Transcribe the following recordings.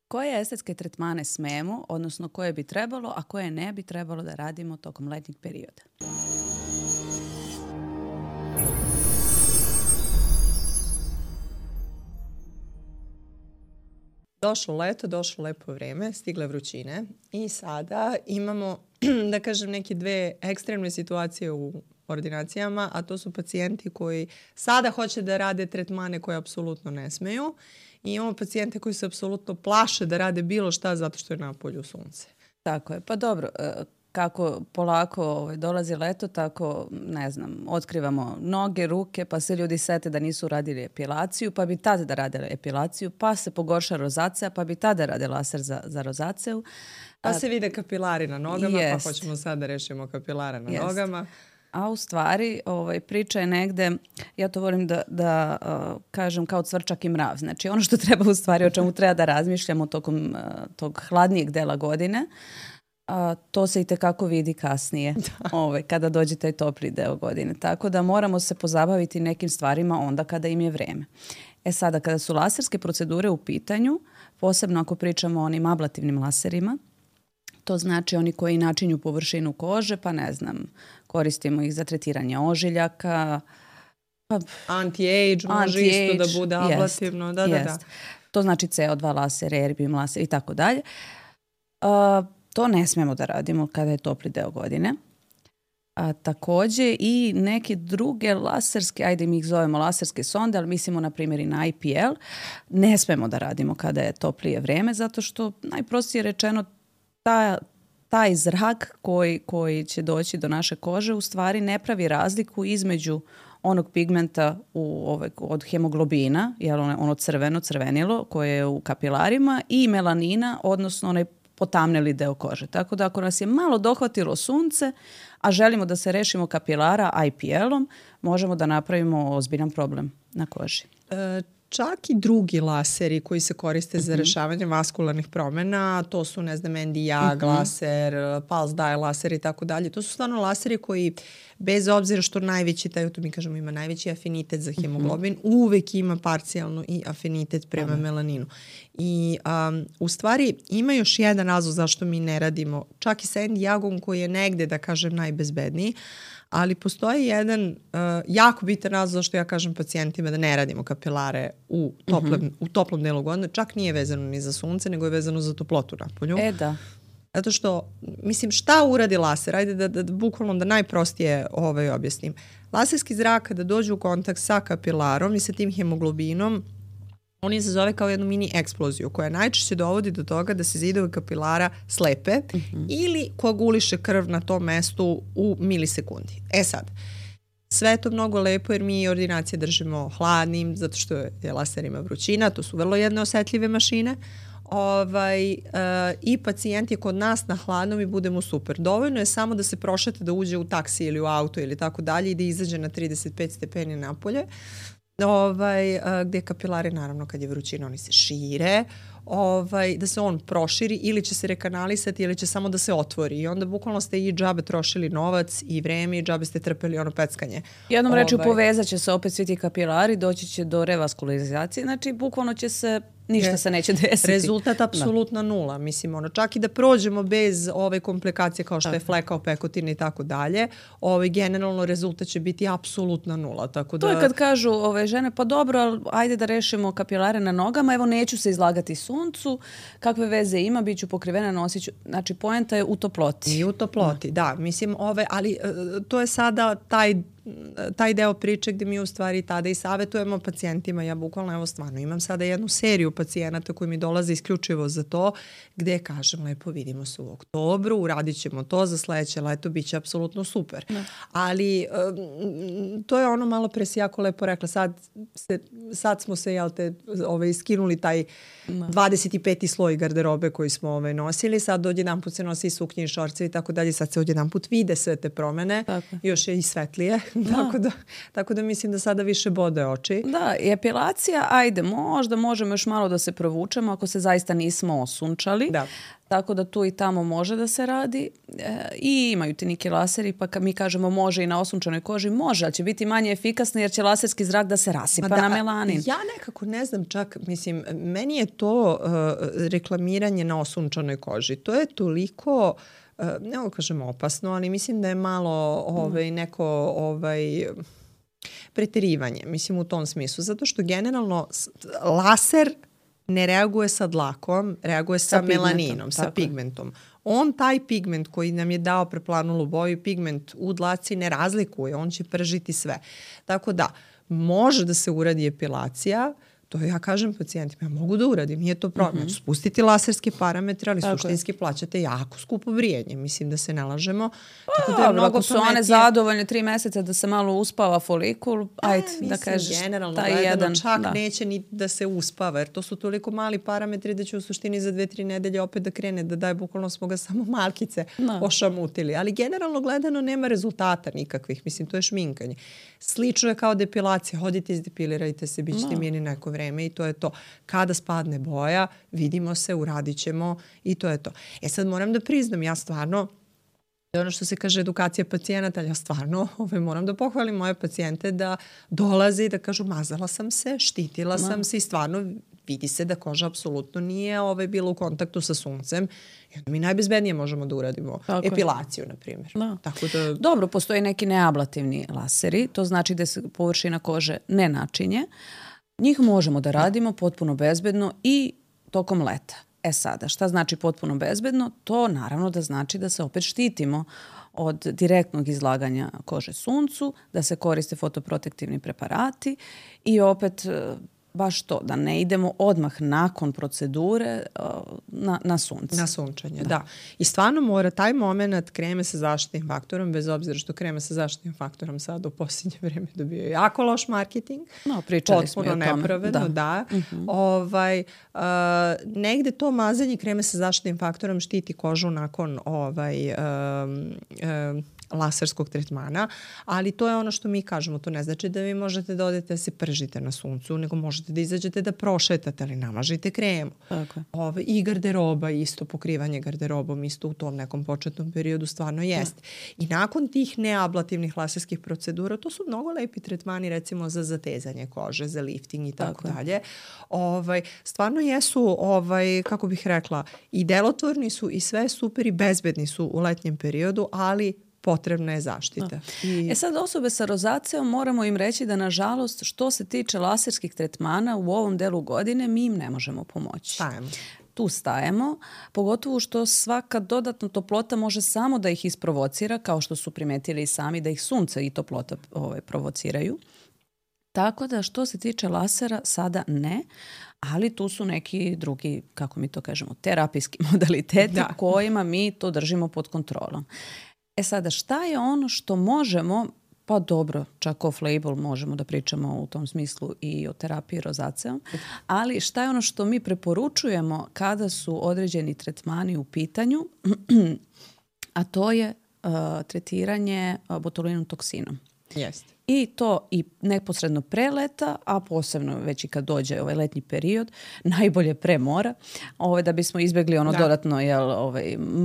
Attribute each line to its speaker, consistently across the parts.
Speaker 1: koje estetske tretmane smemo, odnosno koje bi trebalo, a koje ne bi trebalo da radimo tokom letnjeg perioda.
Speaker 2: Došlo leto, došlo lepo vreme, stigle vrućine i sada imamo, da kažem, neke dve ekstremne situacije u ordinacijama, a to su pacijenti koji sada hoće da rade tretmane koje apsolutno ne smeju i imamo pacijente koji se apsolutno plaše da rade bilo šta zato što je napolju sunce.
Speaker 1: Tako je. Pa dobro, kako polako dolazi leto, tako, ne znam, otkrivamo noge, ruke, pa se ljudi sete da nisu radili epilaciju, pa bi tada da radili epilaciju, pa se pogorša rozacija, pa bi tada rade laser za rozaciju.
Speaker 2: Pa se vide kapilari na nogama, pa hoćemo sad da rešimo kapilare na nogama.
Speaker 1: A u stvari priča je negde, ja to volim da kažem kao cvrčak i mrav. Znači ono što treba u stvari, o čemu treba da razmišljamo tokom tog hladnijeg dela godine, to se i tekako vidi kasnije kada dođe taj topli deo godine. Tako da moramo se pozabaviti nekim stvarima onda kada im je vreme. Sada, kada su laserske procedure u pitanju, posebno ako pričamo o onim ablativnim laserima, to znači oni koji načinju površinu kože, pa ne znam, koristimo ih za tretiranje ožiljaka.
Speaker 2: Anti-age može isto da bude ablativno. Da.
Speaker 1: To znači CO2 laser, erbium laser i tako dalje. To ne smemo da radimo kada je topli deo godine. Takođe i neke druge laserske, ajde mi ih zovemo laserske sonde, ali mislimo na primjer i na IPL, ne smemo da radimo kada je toplije vreme, zato što najprostije rečeno taj zrak koji će doći do naše kože u stvari ne pravi razliku između onog pigmenta od hemoglobina, ono crvenilo koje je u kapilarima, i melanina, odnosno onaj potamneli deo kože. Tako da ako nas je malo dohvatilo sunce, a želimo da se rešimo kapilara IPL-om, možemo da napravimo ozbiljan problem na koži.
Speaker 2: Čak i drugi laseri koji se koriste za rešavanje vaskularnih promena, to su, ne znam, Nd:YAG laser, pulse dye laser i tako dalje. To su stvarno laseri koji, bez obzira što najveći, to mi kažemo, ima najveći afinitet za hemoglobin, uvek ima parcijalno i afinitet prema melaninu. I u stvari ima još jedan razlog zašto mi ne radimo, čak i sa Nd:YAG-om koji je negde, da kažem, najbezbedniji, ali postoji jedan jako bitan razlog zašto ja kažem pacijentima da ne radimo kapilare u toplom delu godine. Čak nije vezano ni za sunce, nego je vezano za toplotu napolju.
Speaker 1: Da.
Speaker 2: Zato što, mislim, šta uradi laser? Ajde da bukvalno da najprostije objasnim. Laserski zrak kada dođe u kontakt sa kapilarom i sa tim hemoglobinom, on izazove kao jednu mini eksploziju koja najčešće dovodi do toga da se zidovi kapilara slepe ili koaguliše krv na tom mestu u milisekundi. Sad, sve je to mnogo lepo jer mi ordinacije držimo hladnim zato što je laser ima vrućina, to su vrlo jedne osetljive mašine. I pacijent je kod nas na hladnom i budemo super. Dovoljno je samo da se prošete, da uđe u taksi ili u auto ili tako dalje i da izađe na 35 stepeni napolje. Gde kapilari, naravno, kad je vrućina, oni se šire, da se on proširi ili će se rekanalisati ili će samo da se otvori i onda bukvalno ste i džabe trošili novac i vreme i džabe ste trpeli ono peckanje.
Speaker 1: Jednom rečju povezat će se opet svi ti kapilari, doći će do revaskularizacije, znači bukvalno će se, ništa se neće desiti.
Speaker 2: Rezultat apsolutna nula, mislim, čak i da prođemo bez ove komplikacije kao što je fleka, opekotine i tako dalje, generalno rezultat će biti apsolutna nula. Tako da...
Speaker 1: To je kad kažu žene, pa dobro, ajde da rešimo kapilare na nogama, evo neću se izlagati suncu, kakve veze ima, bit ću pokrivena, nosit ću. Znači, poenta je u toploti.
Speaker 2: I u toploti, da. Mislim, ali to je sada taj deo priče gde mi u stvari tada i savjetujemo pacijentima. Ja bukvalno, evo stvarno, imam sada jednu seriju pacijenata koji mi dolaze isključivo za to, gde kažem, lepo, vidimo se u oktobru, uradit ćemo to za sledeće leto, bit će apsolutno super. Ali to je ono, malo pre si jako lepo rekla, sad smo se, skinuli taj 25. sloj garderobe koji smo nosili, sad odjedan put se nosi i suknje i šorce i tako dalje, sad se odjedan put vide sve te promene, još je i svetlije. Tako da mislim da sada više bode oči.
Speaker 1: Da, i epilacija, ajde, možda možemo još malo da se provučemo ako se zaista nismo osunčali. Tako da tu i tamo može da se radi i imaju ti neki laseri, pa mi kažemo može i na osunčanoj koži, može, ali će biti manje efikasno jer će laserski zrak da se rasipa na melanin.
Speaker 2: Ja nekako ne znam čak, mislim, meni je to reklamiranje na osunčanoj koži. To je toliko, ne ovo kažem opasno, ali mislim da je malo neko preterivanje, mislim u tom smislu, zato što generalno laser ne reaguje sa dlakom, reaguje sa melaninom, sa pigmentom. On taj pigment koji nam je dao preplanulu boju, pigment u dlaci ne razlikuje, on će pržiti sve. Tako da, može da se uradi epilacija, to ja kažem pacijentima, ja mogu da uradim, nije to problem. Spustiti laserske parametre, ali suštinski plaćate jako skupo brijanje. Mislim da se ne lažemo.
Speaker 1: Tako da je mnogo ako su one zadovoljne 3 meseca da se malo uspava folikul, ajde da kažeš taj jedan.
Speaker 2: Čak neće ni da se uspava, jer to su toliko mali parametri da će u suštini za 2-3 nedelje opet da krene, da daje, bukvalno smo ga samo malkice ošamutili. Ali generalno gledano nema rezultata nikakvih. Mislim, to je šminkanje. Slično je kao depilacija. Hodite, izdepilirajte se, bit ćete mirni neko vreme i to je to. Kada spadne boja, vidimo se, uradit ćemo i to je to. Sad moram da priznam, ja stvarno, ono što se kaže edukacija pacijenata, ja stvarno moram da pohvalim moje pacijente da dolaze i da kažu mazala sam se, štitila sam se i stvarno vidi se da koža apsolutno nije bila u kontaktu sa suncem. I onda mi najbezbednije možemo da uradimo epilaciju, na primjer. Tako da...
Speaker 1: Dobro, postoji neki neablativni laseri, to znači da se površina kože ne načinje. Njih možemo da radimo potpuno bezbedno i tokom leta. Sada, šta znači potpuno bezbedno? To naravno da znači da se opet štitimo od direktnog izlaganja kože suncu, da se koriste fotoprotektivni preparati i opet baš to, da ne idemo odmah nakon procedure na sunce.
Speaker 2: Na sunčanje, da. I stvarno mora taj moment kreme sa zaštitnim faktorom, bez obzira što kreme sa zaštitnim faktorom sad u posljednje vreme dobio jako loš marketing.
Speaker 1: Pričali smo i o tome.
Speaker 2: Potpuno nepravedno, da. Negde to mazanje kreme sa zaštitnim faktorom štiti kožu nakon laserskog tretmana, ali to je ono što mi kažemo, to ne znači da vi možete da odete da se pržite na suncu, nego možete da izađete da prošetate, ali namažite kremu. I garderoba isto, pokrivanje garderobom isto u tom nekom početnom periodu stvarno jeste. I nakon tih neablativnih laserskih procedura, to su mnogo lepi tretmani recimo za zatezanje kože, za lifting i tako dalje. Stvarno jesu, kako bih rekla, i delotvorni su i sve super i bezbedni su u letnjem periodu, ali potrebna je zaštita.
Speaker 1: Sad osobe sa rozaceom moramo im reći da nažalost što se tiče laserskih tretmana u ovom delu godine mi im ne možemo pomoći. Tu stajemo, pogotovo što svaka dodatna toplota može samo da ih isprovocira, kao što su primetili i sami da ih sunce i toplota provociraju. Tako da što se tiče lasera sada ne, ali tu su neki drugi, kako mi to kažemo, terapijski modaliteti kojima mi to držimo pod kontrolom. Sada, šta je ono što možemo, pa dobro, čak off-label možemo da pričamo u tom smislu i o terapiji rozaceom, ali šta je ono što mi preporučujemo kada su određeni tretmani u pitanju, a to je tretiranje botulinom toksinom.
Speaker 2: Jeste.
Speaker 1: I to i neposredno pre leta, a posebno već i kad dođe ovaj letnji period, najbolje pre mora, da bismo izbjegli ono dodatno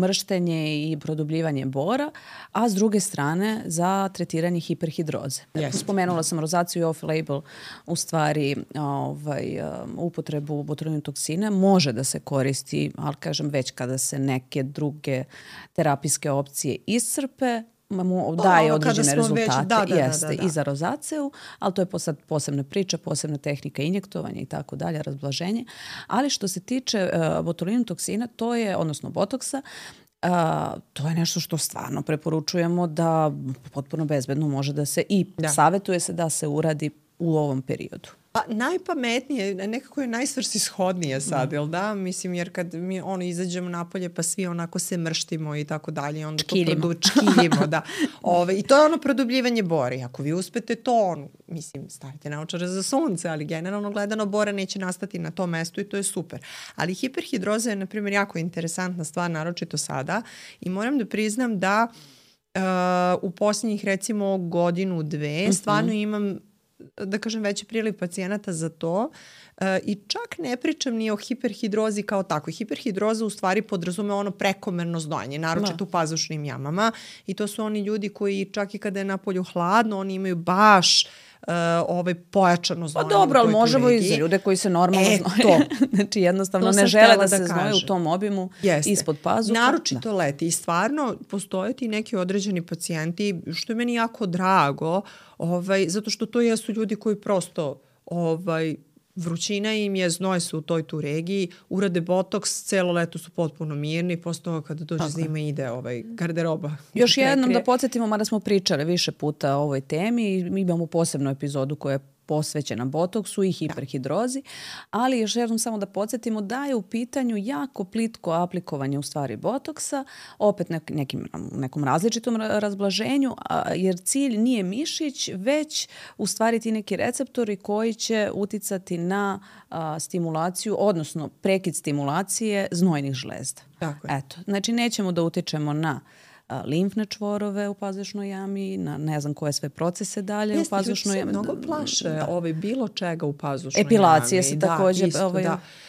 Speaker 1: mrštenje i produbljivanje bora, a s druge strane za tretiranje hiperhidroze. Spomenula sam rozaciju i off-label, u stvari upotrebu botulinom toksina može da se koristi, ali kažem već kada se neke druge terapijske opcije iscrpe, daje određene rezultate i za rozaceu, ali to je posebna priča, posebna tehnika injektovanja i tako dalje, razblaženje. Ali što se tiče botulinom toksina, to je, odnosno botoksa, to je nešto što stvarno preporučujemo da potpuno bezbedno može da se i savjetuje se da se uradi u ovom periodu.
Speaker 2: Pa najpametnije, nekako je najsvrsishodnije sad, jel da? Mislim, jer kad mi izađemo napolje pa svi onako se mrštimo i tako dalje, onda čkiljimo, da. I to je ono produbljivanje bore. Ako vi uspete to, mislim, stavite naočare za sunce, ali generalno gledano bora neće nastati na tom mestu i to je super. Ali hiperhidroza je, na primjer, jako interesantna stvar, naročito sada, i moram da priznam da u posljednjih, recimo, 1-2 stvarno imam da kažem, veći priliv pacijenata za to i čak ne pričam ni o hiperhidrozi kao takvoj. Hiperhidroza u stvari podrazume ono prekomerno znojanje, naročito u pazušnim jamama i to su oni ljudi koji čak i kada je napolju hladno, oni imaju baš pojačano znojanje.
Speaker 1: Pa dobro, ali možemo i za ljude koji se normalno znoje. Znači jednostavno ne žele da se znoje u tom obimu ispod pazuha.
Speaker 2: Naročito leti i stvarno postoje ti neki određeni pacijenti, što je meni jako drago, zato što to jesu ljudi koji prosto vrućina im je, znoje se u toj tu regiji, urade botoks, celo leto su potpuno mirni, posle toga kada dođe zima ide garderoba.
Speaker 1: Još jednom da podsjetimo, mada smo pričali više puta o ovoj temi i mi imamo posebnu epizodu koja je posvećena botoksu i hiperhidrozi, ali još jednom samo da podsjetimo da je u pitanju jako plitko aplikovanje u stvari botoksa, opet nekom različitom razblaženju, jer cilj nije mišić, već u stvari ti neki receptori koji će uticati na stimulaciju, odnosno prekid stimulacije znojnih žlezda.
Speaker 2: Tako je.
Speaker 1: Eto, znači nećemo da utičemo na limfne čvorove u pazušnoj jami, na ne znam koje sve procese dalje u pazušnoj jami.
Speaker 2: Mnogo plaše bilo čega u pazušnoj jami.
Speaker 1: Epilacije se također,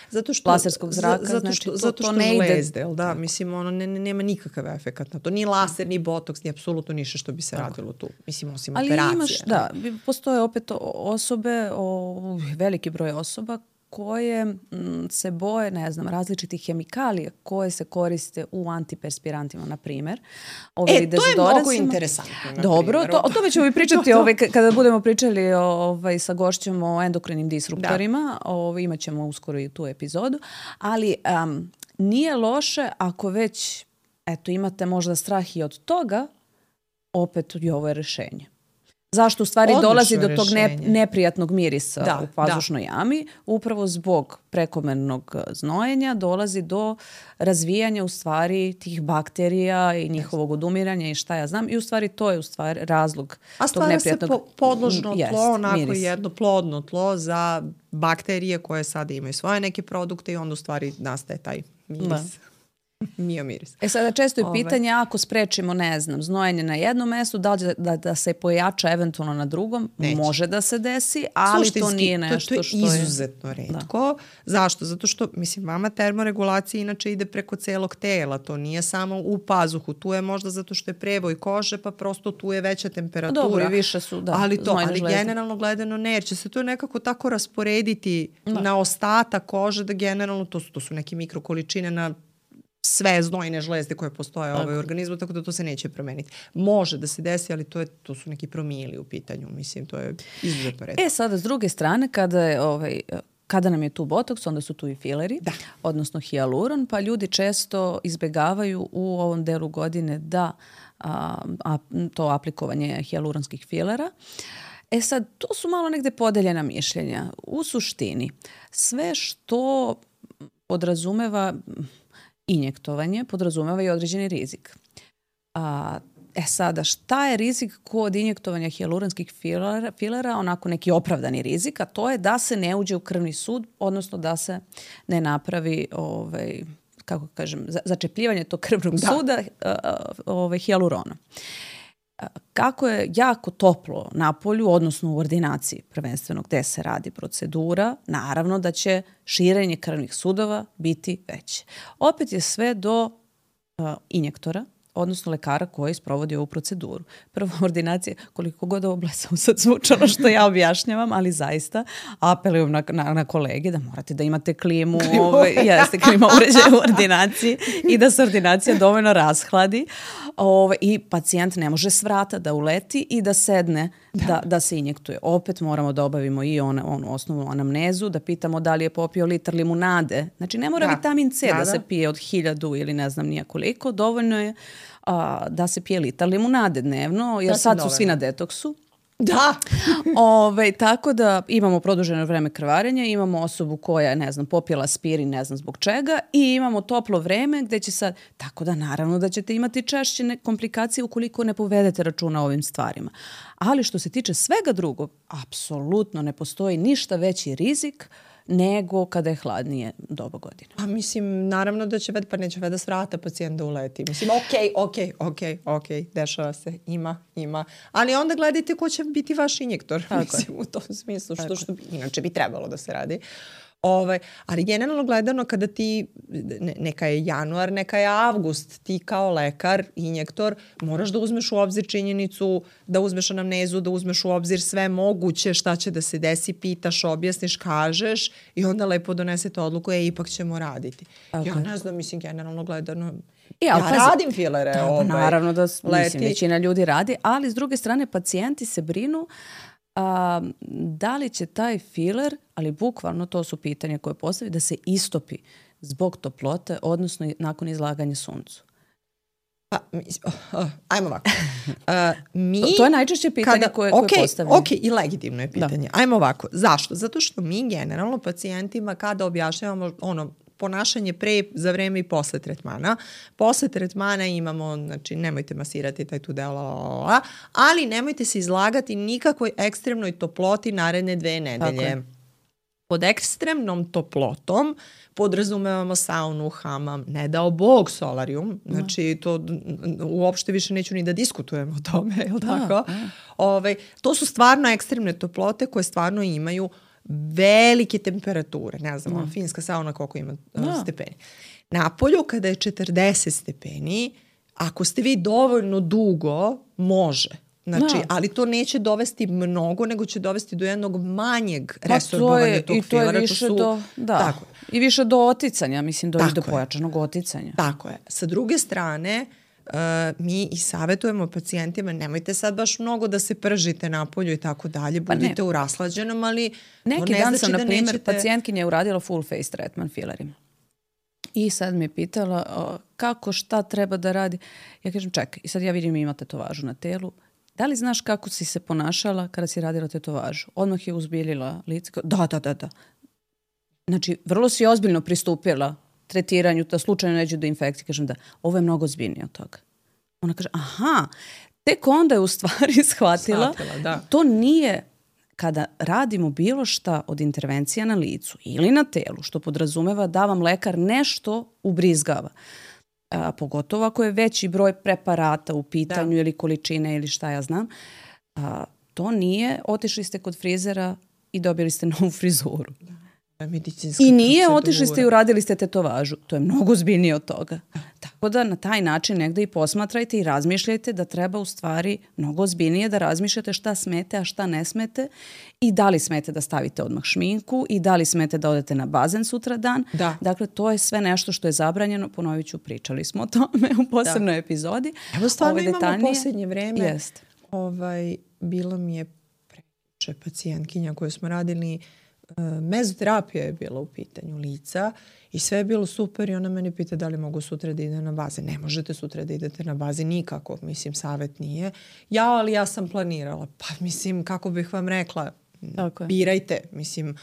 Speaker 2: zato što,
Speaker 1: laserskog zraka,
Speaker 2: zato što
Speaker 1: ne ide.
Speaker 2: Žlezde, da? Mislim, ono nema nikakav efekat na to. Ni laser, ni botoks, ni apsolutno ništa što bi se radilo tu. Mislim, osim operacije.
Speaker 1: Ali postoje opet osobe, veliki broj osoba koje se boje, ne znam, različitih hemikalija koje se koriste u antiperspirantima, na primjer.
Speaker 2: To je mnogo interesantno.
Speaker 1: Dobro, o tome ćemo i pričati kada budemo pričali sa gošćom o endokrinim disruptorima. Imat ćemo uskoro i tu epizodu. Ali nije loše ako već imate možda strah i od toga, opet i ovo je rješenje. Zašto u stvari dolazi do tog neprijatnog mirisa u pazušnoj jami? Upravo zbog prekomernog znojenja dolazi do razvijanja u stvari tih bakterija i njihovog odumiranja i šta ja znam. I u stvari to je u stvari razlog tog neprijatnog
Speaker 2: mirisa. A stvara se podložno tlo, onako jedno plodno tlo za bakterije koje sada imaju svoje neke produkte i onda u stvari nastaje taj miris. Miris.
Speaker 1: Sada često je pitanje ako sprečimo, ne znam, znojenje na jednom mestu, da se pojača eventualno na drugom, može da se desi, ali to nije nešto što je...
Speaker 2: To je izuzetno retko. Zašto? Zato što, mislim, vama termoregulacija inače ide preko celog tela, to nije samo u pazuhu, tu je možda zato što je prevoj kože, pa prosto tu je veća temperatura.
Speaker 1: Dobro, više su,
Speaker 2: ali generalno gledano ne, jer će se to nekako tako rasporediti na ostatak kože, da generalno to su neke mikrokoličine na sve znojne žlezde koje postoje u organizmu, tako da to se neće promeniti. Može da se desi, ali to su neki promili u pitanju. Mislim, to je izuzetno retko.
Speaker 1: Sada, s druge strane, kada nam je tu botoks, onda su tu i fileri, odnosno hijaluron, pa ljudi često izbjegavaju u ovom delu godine da to aplikovanje hijaluronskih filera. Sad, to su malo negde podeljena mišljenja. U suštini, sve što podrazumeva injektovanje podrazumeva i određeni rizik. Sada, šta je rizik kod injektovanja hijaluronskih filera? Onako neki opravdani rizik, a to je da se ne uđe u krvni sud, odnosno da se ne napravi kako kažem, začepljivanje tog krvnog suda hijaluronom. Kako je jako toplo na polju, odnosno u ordinaciji prvenstveno gde se radi procedura, naravno da će širenje krvnih sudova biti veće. Opet je sve do injektora, odnosno lekara koji sprovodi ovu proceduru. Prvo, ordinacija, koliko god ovo blesavo sad zvučalo što ja objašnjavam, ali zaista apelujem na kolege da morate da imate klimu, klima uređaja u ordinaciji i da se ordinacija dovoljno rashladi i pacijent ne može s vrata da uleti i da sedne da se injektuje. Opet moramo da obavimo i onu osnovnu anamnezu, da pitamo da li je popio litar limunade. Znači ne mora vitamin C da se pije od 1000 ili ne znam nija koliko, dovoljno je da se pije litar limunade dnevno, jer sad su svi na detoksu.
Speaker 2: Da.
Speaker 1: Tako da imamo produženo vreme krvarenja, imamo osobu koja je, ne znam, popila aspirin, ne znam zbog čega, i imamo toplo vreme gde će sad, tako da naravno da ćete imati češće komplikacije ukoliko ne povedete računa o ovim stvarima. Ali što se tiče svega drugog, apsolutno ne postoji ništa veći rizik nego kada je hladnije doba godine.
Speaker 2: A mislim, naravno da će pa neće da svrata pacijent da uleti. Mislim, okej, dešava se, ima. Ali onda gledajte ko će biti vaš injektor. Mislim, u tom smislu, što inače bi trebalo da se radi. Ali generalno gledano kada ti, neka je januar, neka je avgust, ti kao lekar, injektor, moraš da uzmeš u obzir činjenicu, da uzmeš anamnezu, da uzmeš u obzir sve moguće, šta će da se desi, pitaš, objasniš, kažeš i onda lepo donesete odluku, ipak ćemo raditi. Ja ne znam, mislim, generalno gledano, ja radim filere.
Speaker 1: Naravno da većina ljudi radi, ali s druge strane pacijenti se brinu da li će taj filer, ali bukvalno to su pitanja koje postavi, da se istopi zbog toplote, odnosno nakon izlaganja suncu.
Speaker 2: Ajmo ovako.
Speaker 1: To je najčešće pitanje koje postavljaju.
Speaker 2: Ok, i legitimno je pitanje. Ajmo ovako. Zašto? Zato što mi generalno pacijentima kada objašnjavamo ponašanje pre, za vreme i posle tretmana. Posle tretmana imamo, znači nemojte masirati taj tu deo, ali nemojte se izlagati nikakvoj ekstremnoj toploti naredne 2 nedelje. Pod ekstremnom toplotom podrazumevamo saunu, hamam, ne dao Bog solarium, znači to uopšte više neću ni da diskutujem o tome, je li tako? To su stvarno ekstremne toplote koje stvarno imaju velike temperature, ne znam, finska sauna koliko ima stepeni. Napolju kada je 40 stepeni, ako ste vi dovoljno dugo, može. Znači, ali to neće dovesti mnogo, nego će dovesti do jednog manjeg resorbovanja tog filera.
Speaker 1: I to je više i više do oticanja, mislim, do pojačanog oticanja.
Speaker 2: Tako je. Sa druge strane, mi i savjetujemo pacijentima, nemojte sad baš mnogo da se pržite napolju i tako dalje, budite u raslađenom, ali
Speaker 1: neki dan sam, na primjer, pacijentkinja je uradila full face treatment filerima. I sad me je pitala kako, šta treba da radi. Ja kažem, čekaj, i sad ja vidim ima tetovažu na telu. Da li znaš kako si se ponašala kada si radila tetovažu? Odmah je uzbiljila lice. Da. Znači, vrlo si ozbiljno pristupila tretiranju, da slučajno neđe do infekcije. Kažem da, ovo je mnogo ozbiljnije od toga. Ona kaže, aha, tek onda je u stvari shvatila. To nije, kada radimo bilo šta od intervencija na licu ili na telu, što podrazumeva da vam lekar nešto ubrizgava. Pogotovo ako je veći broj preparata u pitanju ili količine ili šta ja znam. To nije, otišli ste kod frizera i dobili ste novu frizuru. I nije otišli ste i uradili ste tetovažu. To je mnogo ozbiljnije od toga. Tako da na taj način negde i posmatrajte i razmišljajte da treba u stvari mnogo ozbiljnije da razmišljate šta smete, a šta ne smete i da li smete da stavite odmah šminku i da li smete da odete na bazen sutra dan. Dakle, to je sve nešto što je zabranjeno. Ponovit ću, pričali smo o tome u posebnoj epizodi.
Speaker 2: Evo stvarno imamo posljednje vreme. Bilo mi je preče pacijentkinja koju smo radili, mezoterapija je bila u pitanju lica i sve je bilo super i ona mene pita da li mogu sutra da idem na bazen. Ne možete sutra da idete na bazen nikako, mislim, savjet nije. Ali ja sam planirala. Pa mislim, kako bih vam rekla, birajte, mislim,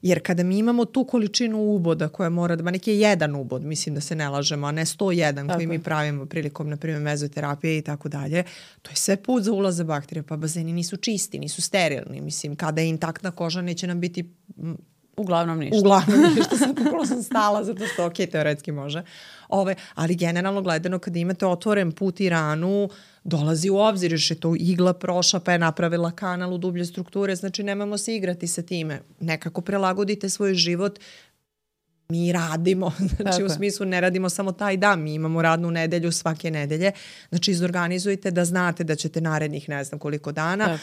Speaker 2: jer kada mi imamo tu količinu uboda koja mora da, neki je jedan ubod, mislim da se ne lažemo, a ne 101 koji mi pravimo prilikom, na primjer, mezoterapije i tako dalje, to je sve put za ulaz bakterija, pa bazeni nisu čisti, nisu sterilni, mislim, kada je intaktna koža neće nam biti
Speaker 1: uglavnom ništa.
Speaker 2: Sad pokolo sam stala, zato što teoretski može. Ali generalno gledano, kada imate otvoren put i ranu, dolazi u obzir, još je to igla prošla, pa je napravila kanal u dublje strukture, znači nemamo se igrati sa time. Nekako prelagodite svoj život. Mi radimo, znači u smislu ne radimo samo taj dan, mi imamo radnu nedelju svake nedelje, znači izorganizujte da znate da ćete narednih ne znam koliko dana,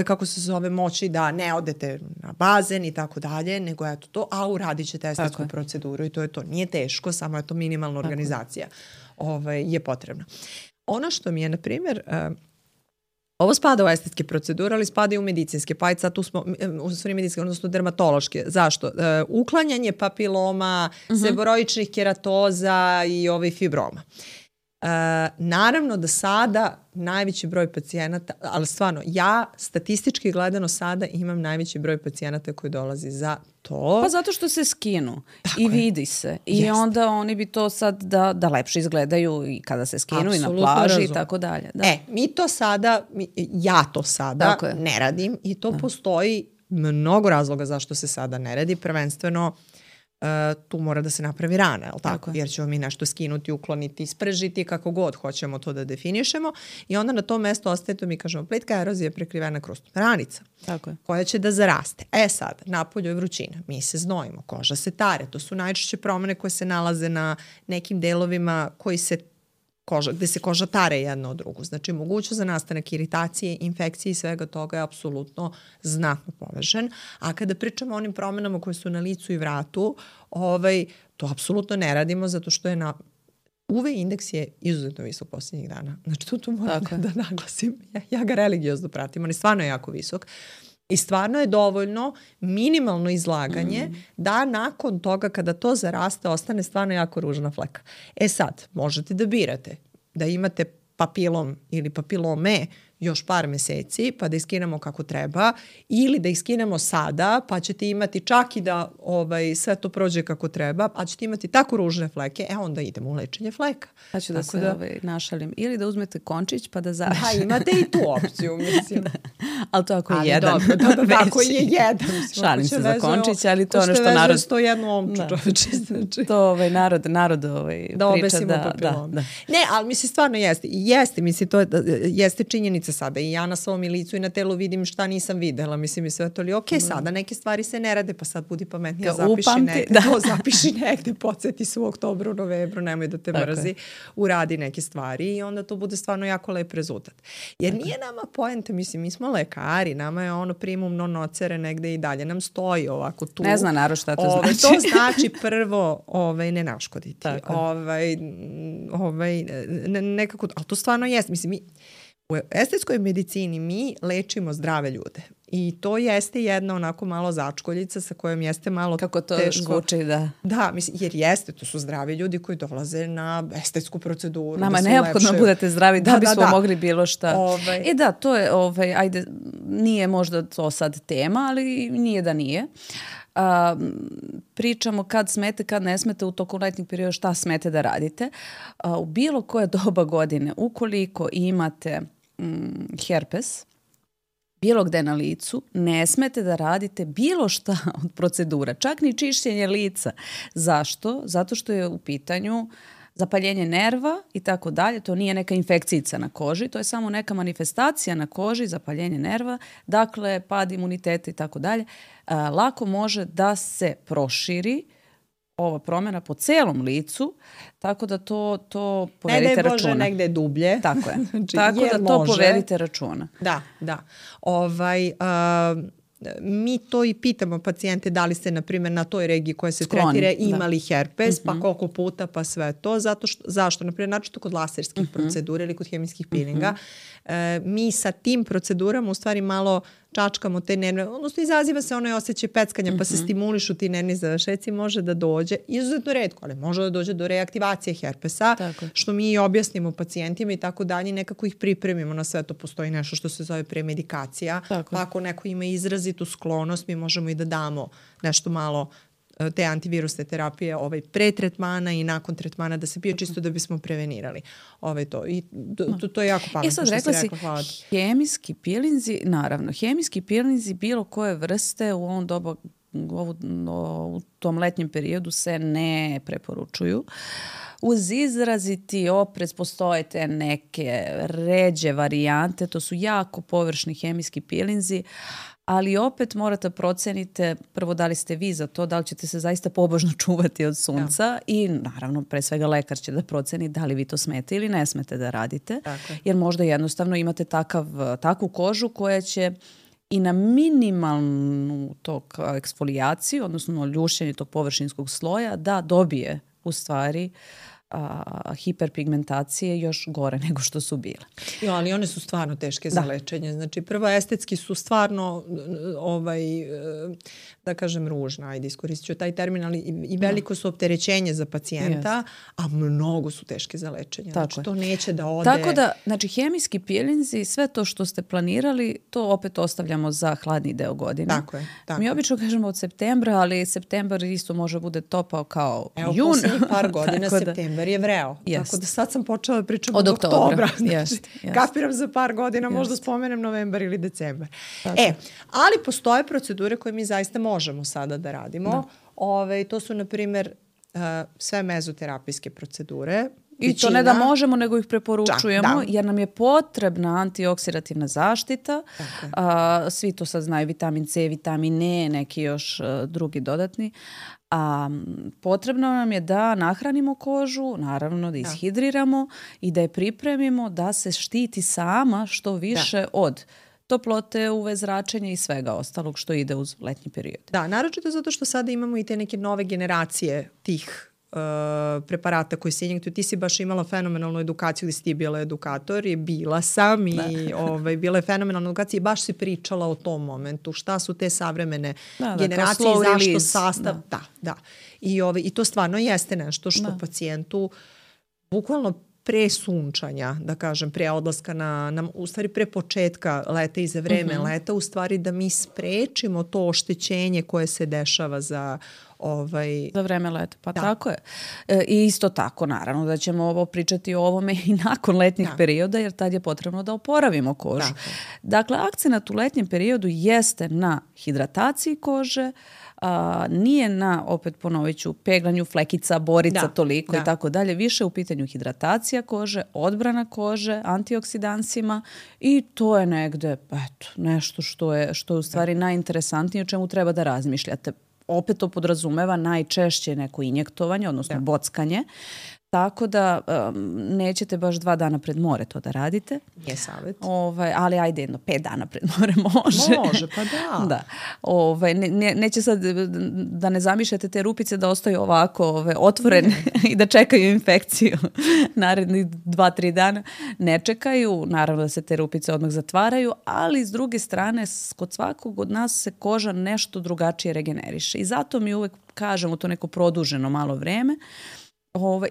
Speaker 2: kako se zove, moći da ne odete na bazen i tako dalje, nego eto to, a uradit ćete estetsku proceduru i to je to. Nije teško, samo je to minimalna organizacija je potrebna. Ono što mi je, na primjer, ovo spada u estetske procedure, ali spada i u medicinske, pa sad tu smo, u stvari medicinske, odnosno dermatološke. Zašto? Uklanjanje papiloma, seboroičnih keratoza i fibroma. Naravno da sada najveći broj pacijenata, ali stvarno, ja statistički gledano sada imam najveći broj pacijenata koji dolazi za to.
Speaker 1: Pa zato što se skinu i vidi se. I onda oni bi to sad da lepše izgledaju i kada se skinu i na plaži i tako dalje.
Speaker 2: Mi to sada, ja to sada ne radim i to postoji mnogo razloga zašto se sada ne radi, prvenstveno tu mora da se napravi rana, je li tako? Jer ćemo mi nešto skinuti, ukloniti, isprežiti, kako god hoćemo to da definišemo i onda na tom mestu ostaje, to mi kažemo, plitka erozija je prekrivena krustna ranica, koja će da zaraste. Sad, napolju je vrućina, mi se znojimo, koža se tare, to su najčešće promene koje se nalaze na nekim delovima gde se koža tare jedna od drugu. Znači, mogućnost za nastanak iritacije, infekcije i svega toga je apsolutno znatno povežen. A kada pričamo o onim promenama koje su na licu i vratu, to apsolutno ne radimo zato što je UV indeks je izuzetno visok posljednjih dana. Znači, tu moram da naglasim. Ja ga religiozno pratim, ali stvarno je jako visok. I stvarno je dovoljno minimalno izlaganje da nakon toga kada to zaraste ostane stvarno jako ružna fleka. Sad, možete da birate da imate papilom ili papilome još par meseci pa da ih skinemo kako treba ili da ih skinemo sada pa ćete imati čak i da sve to prođe kako treba, a ćete imati tako ružne fleke, onda idemo u lečenje fleka.
Speaker 1: Pa ću da se našalim. Ili da uzmete končić pa da završite.
Speaker 2: Da, imate i tu opciju, mislim.
Speaker 1: Ali to ako je jedan.
Speaker 2: Dobro, ako je jedan.
Speaker 1: Šalim se za končić, ali to ono što narod...
Speaker 2: Ko što veže 101 omču, čoveče. Znači.
Speaker 1: To narod priča.
Speaker 2: Da obesimo papilom. Ne, ali mislim stvarno jeste. Jeste, mislim, to jeste činjenica sada i ja na svom licu i na telu vidim šta nisam videla, mislim i sve to li sada neke stvari se ne rade, pa sad budi pametnija, zapiši negde, podsjeti se u oktobru, novembru, nemoj da te mrzi, uradi neke stvari i onda to bude stvarno jako lep rezultat. Jer nije nama poenta, mislim, mi smo lekari, nama je primum non nocere negde i dalje, nam stoji ovako tu.
Speaker 1: Ne zna narod šta to znači.
Speaker 2: To znači prvo ne naškoditi. Nekako, ali to stvarno jest, mislim, u estetskoj medicini mi lečimo zdrave ljude i to jeste jedna onako malo začkoljica sa kojom jeste malo
Speaker 1: kako to
Speaker 2: teško.
Speaker 1: Zvuči, da.
Speaker 2: Da, mislim, jer jeste, to su zdravi ljudi koji dolaze na estetsku proceduru.
Speaker 1: Nama neophodno budete zdravi da bismo mogli bilo šta. Da, to je, ajde, nije možda to sad tema, ali nije da nije. Pričamo kad smete, kad ne smete u toku letnjeg perioda, šta smete da radite. U bilo koje doba godine, ukoliko imate herpes, bilo gde na licu, ne smete da radite bilo šta od procedura, čak ni čišćenje lica. Zašto? Zato što je u pitanju zapaljenje nerva i tako dalje. To nije neka infekcijica na koži, to je samo neka manifestacija na koži, zapaljenje nerva, dakle pad imuniteta i tako dalje. Lako može da se proširi ova promjena po celom licu, tako da to povedite računa.
Speaker 2: Ne daj Bože negde dublje.
Speaker 1: Tako je. Znači, tako da to povedite računa.
Speaker 2: Da. Mi to i pitamo pacijente da li ste, na primjer, na toj regiji koja se tretira imali herpes, pa koliko puta, pa sve to. Zašto? Na primjer, načito kod laserskih procedura ili kod hemijskih pilinga. Mi sa tim procedurama u stvari malo čačkamo te nerve, odnosno izaziva se onaj osjećaj peckanja pa se stimulišu ti nervni završeci, može da dođe, izuzetno retko, ali može da dođe do reaktivacije herpesa, što mi objasnimo pacijentima i tako dalje, nekako ih pripremimo na sve to. Postoji nešto što se zove premedikacija, pa ako neko ima izrazitu sklonost, mi možemo i da damo nešto malo te antivirusne terapije pre tretmana i nakon tretmana da se pije čisto da bismo prevenirali to. I to je jako pametno
Speaker 1: sad,
Speaker 2: što si rekla. Hvala.
Speaker 1: Hemijski pilinzi, naravno, hemijski pilinzi bilo koje vrste u ovom dobu, u tom letnjem periodu se ne preporučuju. Uz izraziti oprez postoje te neke ređe varijante, to su jako površni hemijski pilinzi, ali opet morate procenite prvo da li ste vi za to, da li ćete se zaista pobožno čuvati od sunca i naravno pre svega lekar će da proceni da li vi to smete ili ne smete da radite, jer možda jednostavno imate takvu kožu koja će i na minimalnu tog eksfolijaciju, odnosno ljušenje tog površinskog sloja da dobije u stvari hiperpigmentacije još gore nego što su bile.
Speaker 2: Ali one su stvarno teške za lečenje. Znači, prvo estetski su stvarno da kažem ružna, ajde iskoristit ću taj termin, ali i veliko su opterećenje za pacijenta, a mnogo su teške za lečenje. Znači, to neće da ode.
Speaker 1: Tako da, znači, hemijski pilinzi, sve to što ste planirali, to opet ostavljamo za hladni deo godine.
Speaker 2: Tako je.
Speaker 1: Mi obično kažemo od septembra, ali septembar isto može bude topao kao jun.
Speaker 2: Evo, posljednjih par godina septembar Novembar je vreo.
Speaker 1: Jest.
Speaker 2: Tako da sad sam počela da pričam
Speaker 1: od oktobra.
Speaker 2: Znači,
Speaker 1: Jest.
Speaker 2: kapiram za par godina, možda spomenem novembar ili decembar.
Speaker 1: Tako.
Speaker 2: Ali postoje procedure koje mi zaista možemo sada da radimo. To su, na primjer, sve mezoterapijske procedure.
Speaker 1: I to ne da možemo, nego ih preporučujemo, jer nam je potrebna antioksidativna zaštita. Svi to sad znaju, vitamin C, vitamin E, neki još drugi dodatni. Potrebno nam je da nahranimo kožu, naravno da ishidriramo i da je pripremimo da se štiti sama što više od toplote, UV zračenja i svega ostalog što ide uz letnji period.
Speaker 2: Da, naročito zato što sada imamo i te neke nove generacije tih preparata koji se injektuju. Ti si baš imala fenomenalnu edukaciju gdje si ti bila edukator i bila sam i bila je fenomenalna edukacija i baš si pričala o tom momentu. Šta su te savremene generacije i zašto sastav. Da. I to stvarno jeste nešto što pacijentu bukvalno pre sunčanja, da kažem, pre odlaska u stvari pre početka leta i za vreme leta, u stvari da mi sprečimo to oštećenje koje se dešava za
Speaker 1: vreme leta, pa tako je. I isto tako, naravno, da ćemo ovo pričati o ovome i nakon letnjih perioda, jer tad je potrebno da oporavimo kožu. Dakle, akcenat u letnjem periodu jeste na hidrataciji kože, nije na, opet ponovit ću, peglanju flekica, borica, toliko i tako dalje. Više u pitanju hidratacija kože, odbrana kože, antioksidansima i to je negde nešto što je u stvari najinteresantnije, o čemu treba da razmišljate. Opet to podrazumeva najčešće neko injektovanje, odnosno bockanje. Tako da nećete baš 2 dana pred more to da radite.
Speaker 2: Je savjet.
Speaker 1: Ali ajde 5 dana pred more može.
Speaker 2: Može, pa da.
Speaker 1: Neće sad da ne zamišljate te rupice da ostaju ovako otvorene i da čekaju infekciju narednih 2-3 dana. Ne čekaju, naravno da se te rupice odmah zatvaraju, ali s druge strane kod svakog od nas se koža nešto drugačije regeneriše. I zato mi uvek kažemo to neko produženo malo vreme.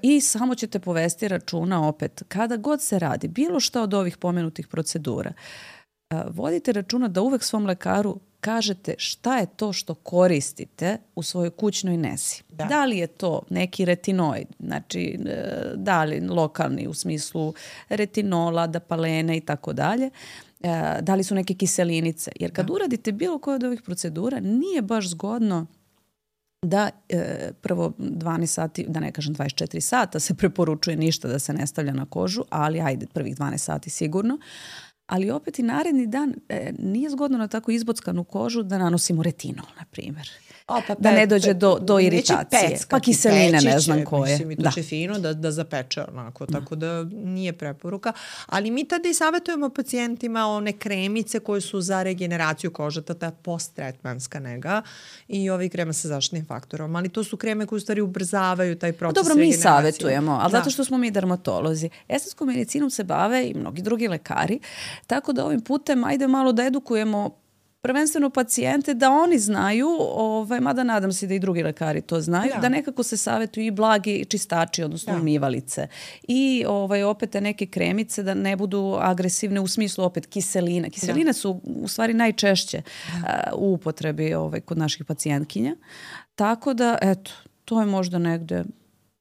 Speaker 1: I samo ćete povesti računa opet, kada god se radi bilo šta od ovih pomenutih procedura, vodite računa da uvek svom lekaru kažete šta je to što koristite u svojoj kućnoj nezi. Da li je to neki retinoid, znači da li lokalni u smislu retinola, dapalene i tako dalje, da li su neke kiselinice. Jer kad uradite bilo koje od ovih procedura, nije baš zgodno da prvo 12 sati, da ne kažem 24 sata se preporučuje ništa da se ne stavlja na kožu, ali ajde prvih 12 sati sigurno. Ali opet i naredni dan nije zgodno na tako izbockanu kožu da nanosimo retinol, na primjer. Da ne dođe do iritacije. Pa kiseline, ne znam koje.
Speaker 2: Mislim, i to će fino da zapeče onako, tako da nije preporuka. Ali mi tada i savjetujemo pacijentima one kremice koje su za regeneraciju kože, ta post-tretmanska nega i ovi krema sa zaštitnim faktorom. Ali to su kreme koje u stvari ubrzavaju taj proces regeneracije.
Speaker 1: Dobro, mi savjetujemo, ali zato što smo mi dermatolozi. Estetskom medicinom se bave i mnogi drugi lekari, tako da ovim putem ajde malo da edukujemo prvenstveno pacijente da oni znaju, mada nadam se da i drugi lekari to znaju, da nekako se savjetuju i blagi čistači, odnosno umivalice. I opet neke kremice da ne budu agresivne u smislu opet kiselina. Kiseline su u stvari najčešće u upotrebi kod naših pacijentkinja. Tako da, eto, to je možda negde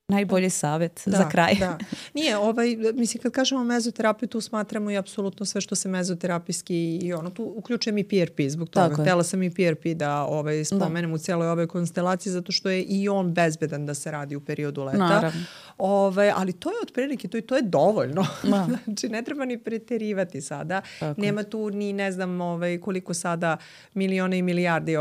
Speaker 1: najbolji savjet za kraj.
Speaker 2: Da. Nije, mislim, kad kažemo mezoterapiju, tu smatramo i apsolutno sve što se mezoterapijski i tu uključujem i PRP zbog toga. Htjela sam i PRP da spomenem u cijeloj ovoj konstelaciji, zato što je i on bezbedan da se radi u periodu leta.
Speaker 1: Naravno.
Speaker 2: Ali to je otprilike, to je dovoljno. Znači, ne treba ni preterivati sada. Tako. Nema tu ni, ne znam, koliko sada milione i milijardi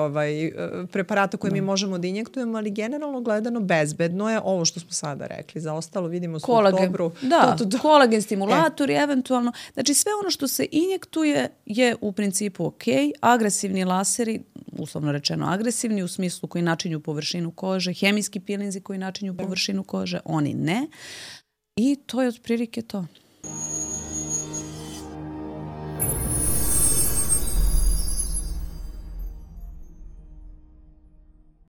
Speaker 2: preparata koje mi možemo da injektujemo, ali generalno gledano bezbedno je ovo što smo sada rekli. Za ostalo vidimo u oktobru.
Speaker 1: Da, kolagen stimulatori, eventualno. Znači, sve ono što se injektuje je u principu ok. Agresivni laseri, uslovno rečeno agresivni, u smislu koji načinju površinu kože, hemijski pilinzi koji načinju površinu kože, oni ne. I to je otprilike to.